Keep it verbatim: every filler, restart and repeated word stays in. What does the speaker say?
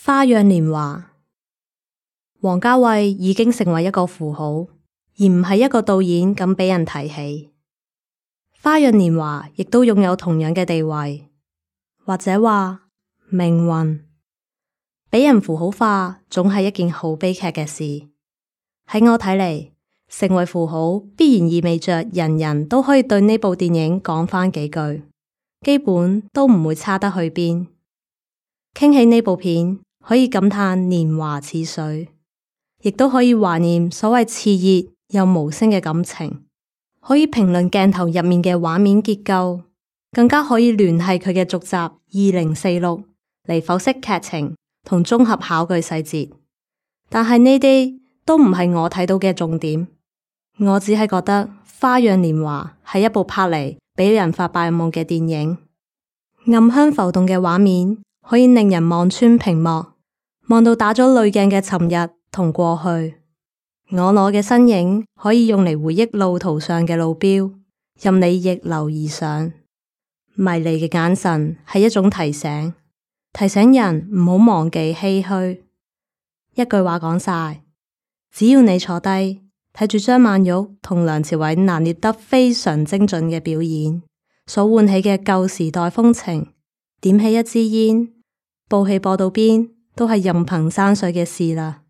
花樣年華，王家衛已經成為一個符號，而唔係一個導演咁俾人提起。花樣年華亦都擁有同樣嘅地位，或者話命運。俾人符號化總係一件好悲劇嘅事。喺我睇嚟，成為符號必然意味着人人都可以對呢部電影講返幾句，基本都唔會差得去邊。傾起呢部片，可以感嘆年華似水，亦都可以懷念所謂熾熱又無聲嘅感情，可以評論鏡頭入面嘅畫面結構，更加可以聯繫佢嘅續集二零四六嚟剖析劇情同綜合考據細節。但係呢啲都唔係我睇到嘅重點，我只係覺得《花樣年華》係一部拍嚟俾人發白日夢嘅電影，暗香浮動嘅畫面可以令人望穿屏幕。望到打咗濾鏡嘅尋日同過去，我攞嘅身影可以用嚟回憶路途上嘅路標，任你逆流而上。迷離嘅眼神係一種提醒，提醒人唔好忘記唏噓。一句話講晒，只要你坐低睇住張曼玉同梁朝偉拿捏得非常精準嘅表演，所喚起嘅舊時代風情，點起一支煙，部戲播到邊都係任憑山水嘅事啦。